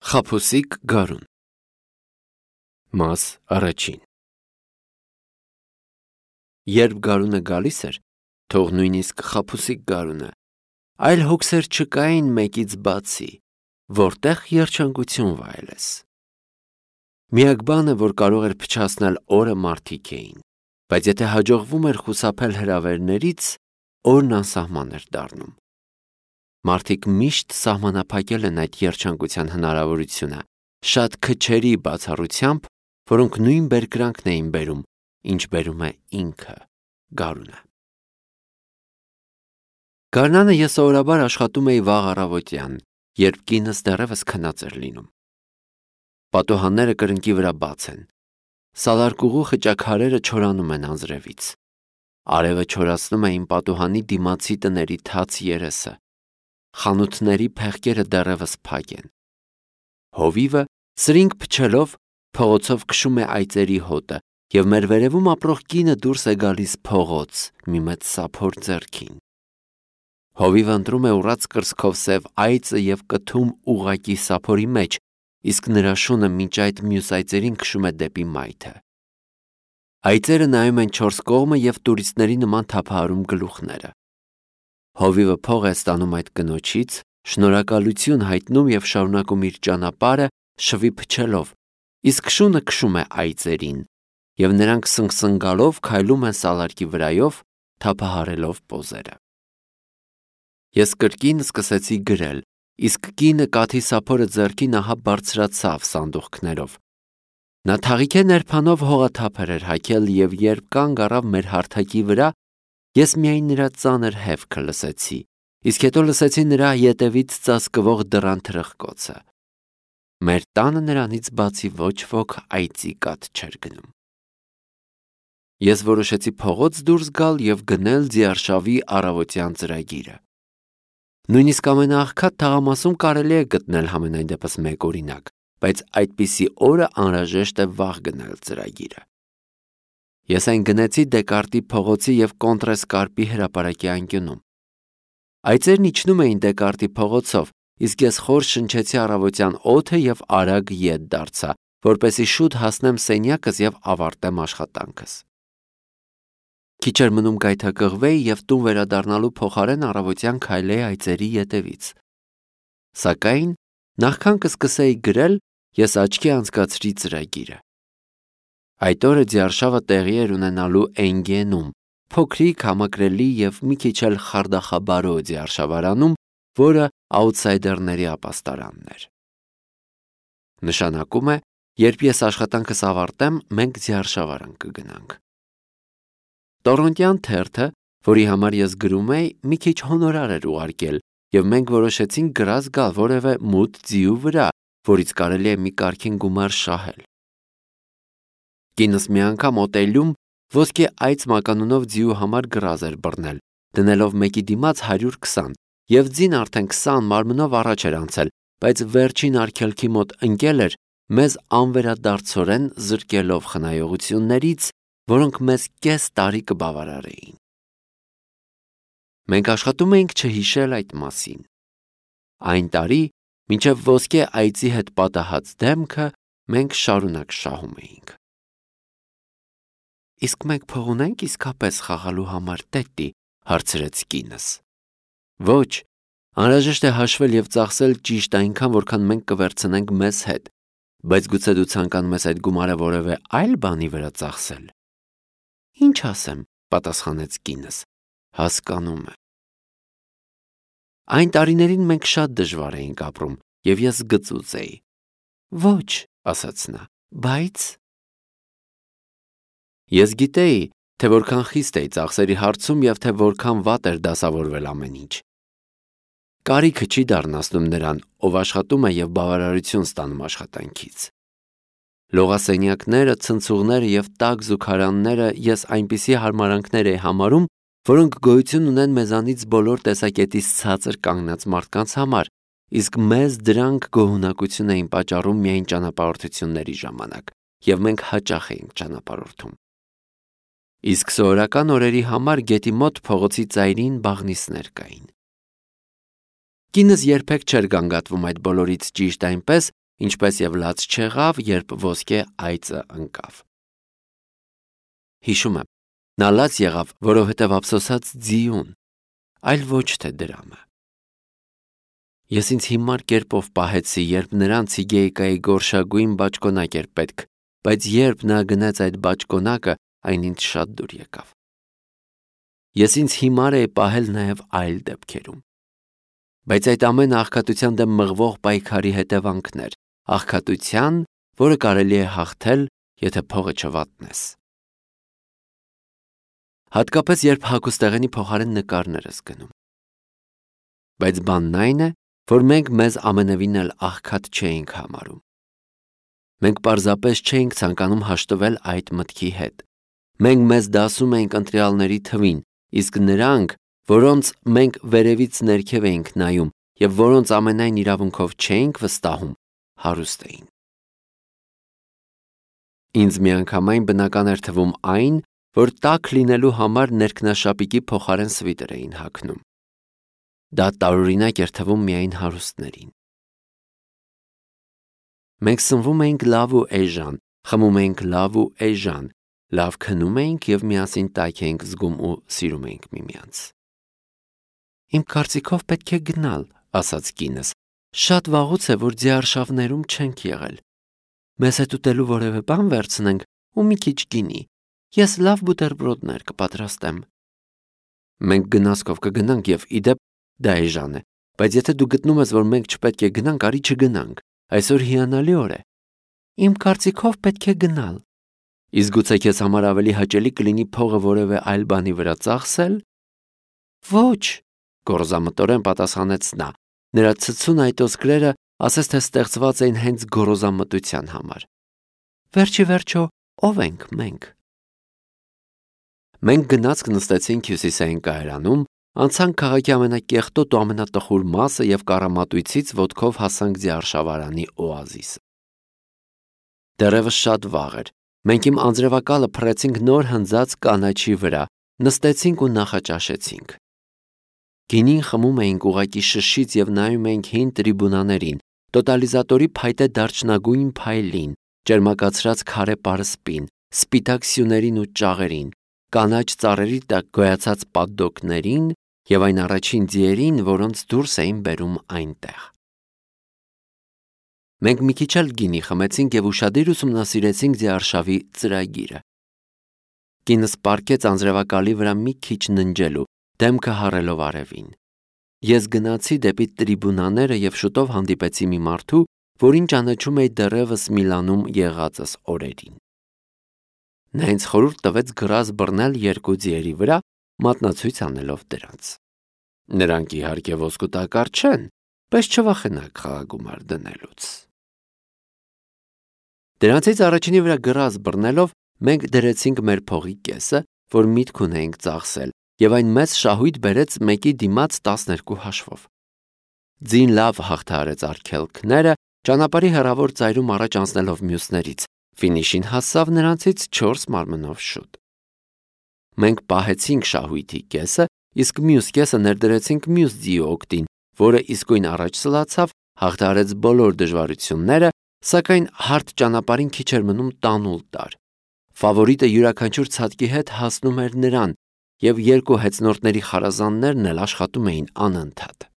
Խաբուսիկ գարուն Մաս առաջին Երբ գարունը գալիս էր, թող նույնիսկ խաբուսիկ գարունը, այլ հոգսեր չկային մեկից բացի, որտեղ երջանկություն վայելես։ Միակ բանը, որ կարող էր փչացնել օրը, մարդիկ էին, բայց եթե հաջողվում էր խուսափել հրավերներից, օրն անսահման էր դառնում։ Մարդիկ միշտ սահմանափակել են այդ երջանկության հնարավորությունը, շատ քչերի բացառությամբ, որոնք նույն բերկրանքն էին բերում, ինչ բերում է ինքը, գարունը։ Գարնանը ես սովորաբար աշխատում էի վաղ առավոտյան, երբ կինս դեռևս քնած էր լինում։ Պատուհանները կրնկի վրա բաց են։ Սալարկուղու խճաքարերը չորանում են անձրևից։ Արևը չորացնում է իմ պատուհանի դիմացի տների թաց երեսը։ Խանութների փեղկերը դեռևս փակ են։ Հովիվը, սրինգ փչելով, փողոցով քշում է այծերի հոտը, և մեր վերևում ապրող կինը դուրս է գալիս փողոց մի մեծ սափոր ձեռքին։ Հովիվը ընտրում է ուռած կրծքով սև այծը և կթում ուղղակի սափորի մեջ, իսկ նրա շունը մինչ այդ մյուս այծերին քշում է դեպի մայթը։ Այծերը նայում են չորս կողմը և տուրիստների նման թափահարում գլուխները։ Հովիվը փող է ստանում այդ կնոջից, շնորհակալություն հայտնում և շարունակում իր ճանապարհը շվի փչելով, իսկ շունը քշում է այծերին, և նրանք սնգսնգալով քայլում են սալարկի վրայով, թափահարելով պոզերը։ Ես կրկին սկսեցի գրել, իսկ կինը կաթի սափորը ձեռքին ահա բարձրացավ սանդուղքներով։ Նա թաղիքե ներբանով հողաթափեր էր հագել, և երբ կանգ առավ մեր հարթակի վրա, ես միայն նրա ծանր հևքը լսեցի, իսկ հետո լսեցի նրա ետևից ծածկվող դռան թրխկոցը։ Մեր տանը նրանից բացի ոչ ոք այծի կաթ չէր գնում։ Ես որոշեցի փողոց դուրս գալ և գնել ձիարշավի առավոտյան ծրագիրը։ Նույնիսկ ամենաաղքատ թաղամասում կարելի է գտնել համենայն դեպս մեկ օրինակ, բայց այդպիսի օրը անհրաժեշտ է վաղ գնել ծրագիրը։ Ես այն գնեցի Դեկարտի փողոցի և Կոնտրես կարգի հրապարակի անկյունում։ Այծերն իջնում էին Դեկարտի փողոցով, իսկ ես խոր շնչեցի առավոտյան օդը և արագ ետ դարձա, որպեսզի շուտ հասնեմ սենյակս և ավարտեմ աշխատանքս։ Քիչ էր մնում գայթակղվեի և տուն վերադառնալու փոխարեն առավոտյան քայլեի այծերի ետևից։ Սակայն նախքան կսկսեի գրել, ես աչքի անցկացրի ծրագիրը։ Այդ օրը ձիարշավը տեղի էր ունենալու Էնգենում, փոքրիկ, համակրելի և մի քիչ էլ խարդախաբարո ձիարշավարանում, որը աութսայդերների ապաստարանն էր։ Նշանակում է, երբ ես աշխատանքս ավարտեմ, մենք ձիարշավարան կգնանք։ Տորոնտյան թերթը, որի համար ես գրում էի, մի քիչ հոնորար էր ուղարկել, և մենք որոշեցինք գրազ գալ որևէ մութ ձիու վրա, որից կարելի է մի կարգին գումար շահել։ Կինս մի անգամ օտելյում ոսկե այծ մականունով ձիու համար գրազ էր բռնել, դնելով մեկի դիմաց 120, և ձին արդեն 20 մարմնով առաջ էր անցել, բայց վերջին արգելքի մոտ ընկել էր, մեզ անվերադարձորեն զրկելով խնայողություններից, որոնք մեզ կես տարի կբավարարեին։ Մենք աշխատում էինք չհիշել այդ մասին։ Այն տարի, մինչև ոսկե այծի հետ պատահած դեմքը, մենք շարունակ շահում էինք։ Իսկ մենք փող ունենք իսկապես խաղալու համար, տետի, հարցրեց կինս։ Ոչ, անհրաժեշտ է հաշվել և ծախսել ճիշտ այնքան, որքան մենք կվերցնենք մեզ հետ, բայց գուցե դու ցանկանում ես այդ գումարը որևէ այլ բանի վրա ծախսել։ Ինչ ասեմ, պատասխանեց կինս, հասկանում եմ։ Այն տարիներին մենք շատ դժվար էինք ապրում, և ես գծուծ էի։ Ոչ, ասաց նա, բայց… Ես գիտեի, թե որքան խիստ էի ծախսերի հարցում և թե որքան վատ էր դասավորվել ամեն ինչ։ Կարիքը չի դառնացնում նրան, ով աշխատում է և բավարարություն ստանում աշխատանքից։ Լողասենյակները, ցնցուղները և տաք զուգարանները ես այնպիսի հարմարանքներ էի համարում, որոնք գոյություն ունեն մեզանից բոլոր տեսակետից ցածր կանգնած մարդկանց համար, իսկ մեզ դրանք գոհունակություն էին պատճառում միայն ճանապարհորդությունների ժամանակ, և մենք հաճախ էինք ճանապարհորդում։ Իսկ սովորական օրերի համար գետի մոտ փողոցի ծայրին բաղնիցներ կային։ Կինս երբեք չէր գանգատվում այդ բոլորից ճիշտ այնպես, ինչպես եւ լաց չեղավ, երբ ոսկե այծը ընկավ։ Հիշում եմ, նա լաց եղավ, որովհետև ափսոսած ձիուն, այլ ոչ թե դրամը։ Ես ինձ հիմար կերպով պահեցի, երբ նրան ցիգեյկայի գորշագույն բաճկոնակ էր պետք, բայց երբ նա գնաց այդ բաճկոնակը, այն ինձ շատ դուր եկավ։ Ես ինձ հիմար էի պահել նաև այլ դեպքերում։ Բայց այդ ամենը աղքատության դեմ մղվող պայքարի հետևանքներ, աղքատության, որը կարելի է հաղթել, եթե փողը չվատնես։ Հատկապես երբ հագուստեղենի փոխարեն նկարներ ես գնում։ Բայց բանն այն է, որ մենք մեզ ամենևին էլ աղքատ չէինք համարում։ Մենք պարզապես չէինք ցանկանում հաշտվել այդ մտքի հետ։ Մենք մեզ դասում էինք ընտրյալների թվին, իսկ նրանք, որոնց մենք վերևից ներքև էինք նայում եւ որոնց ամենայն իրավունքով չէինք վստահում, հարուստ էին։ Ինձ միանգամայն բնական էր թվում այն, որ տաք լինելու համար ներքնաշապիկի փոխարեն սվիտեր էին հագնում։ Դա տարօրինակ էր թվում միայն հարուստներին։ Մենք սնվում էինք լավ ու էժան, խմում էինք լավ ու էժան, լավ քնում էինք եւ միասին տաք էինք զգում ու սիրում էինք միմյանց։ Իմ կարծիքով պետք է գնալ, ասաց կինս։ Շատ վաղուց է, որ ձիարշավներում չենք եղել։ Մեզ հետ ուտելու որևէ բան վերցնենք ու մի քիչ գինի։ Ես լավ բուտերբրոդներ կպատրաստեմ։ Մենք գնացքով կգնանք եւ իդեպ դա էժան է, բայց եթե դու գտնում ես, որ մենք չպետք է գնանք, արի չգնանք։ Այսօր հիանալի օր է։ Իմ կարծիքով պետք է գնալ։ Իսկ գուցե քեզ համար ավելի հաճելի կլինի փողը որևէ այլ բանի վրա ծախսել։ Ոչ, գոռոզամտորեն պատասխանեց նա։ Նրա ցցուն այտոսկրերը ասես թե ստեղծված էին հենց գոռոզամտության համար։ Վերջի վերջո, ով ենք մենք։ Մենք գնացք նստեցինք հյուսիսային կայարանում, անցանք քաղաքի ամենակեղտոտ ու ամենատխուր մասը եւ կառամատույցից ոտքով հասանք ձիարշավարանի օազիսը։ Դեռևս շատ վաղ էր։ Մենք իմ անձրևակալը փռեցինք նոր հնձած կանաչի վրա, նստեցինք ու նախաճաշեցինք։ Գինին խմում էինք ուղակի շշից եւ նայում էինք հին տրիբունաներին, տոտալիզատորի փայտե դարչնագույն փայլին, ճերմակացրած քարե պարսպին, սպիտակ սյուներին ու ճաղերին, կանաչ ծառերի տակ գոյացած պատդոկներին եւ այն առաջին ձիերին, որոնց դուրս էին բերում այնտեղ։ Մենք մի քիչ էլ գինի խմեցինք եւ ուշադիր ուսումնասիրեցինք ձիարշավի ծրագիրը։ Կինս պառկեց անձրևակալի վրա մի քիչ ննջելու, դեմքը հառելով արևին։ Ես գնացի դեպի տրիբունաները եւ շուտով հանդիպեցի մի մարդու, որին ճանաչում էի դեռևս Միլանում եղածս օրերին։ Նա ինձ խորհուրդ տվեց գրազ բռնել երկու ձիերի վրա, մատնացույց անելով դրանց։ Նրանք իհարկե ոսկու տակառ չեն, բայց չվախենաք խաղագումար դնելուց։ Դրանցից առաջինի վրա գրազ բռնելով մենք դրեցինք մեր փողի կեսը, որ միտք ունեինք ծախսել, եւ այն մեծ շահույթ բերեց մեկի դիմաց 12 հաշվով։ Ձին լավ հաղթահարեց արգելքները, ճանապարհի հեռավոր ծայրում առաջ անցնելով մյուսներից, ֆինիշին հասավ նրանցից 4 մարմնով շուտ։ Մենք պահեցինք շահույթի կեսը, իսկ մյուս կեսը ներդրեցինք մյուս ձիի օգտին, որը իսկույն առաջ սլացավ, հաղթահարեց բոլոր դժվարությունները, սակայն հարթ ճանապարհին քիչ էր մնում տանուլ տար։ Ֆավորիտը յուրաքանչյուր ցատկի հետ հասնում էր նրան, եւ երկու հեծնորդների խարազաններն էլ աշխատում էին անընդհատ։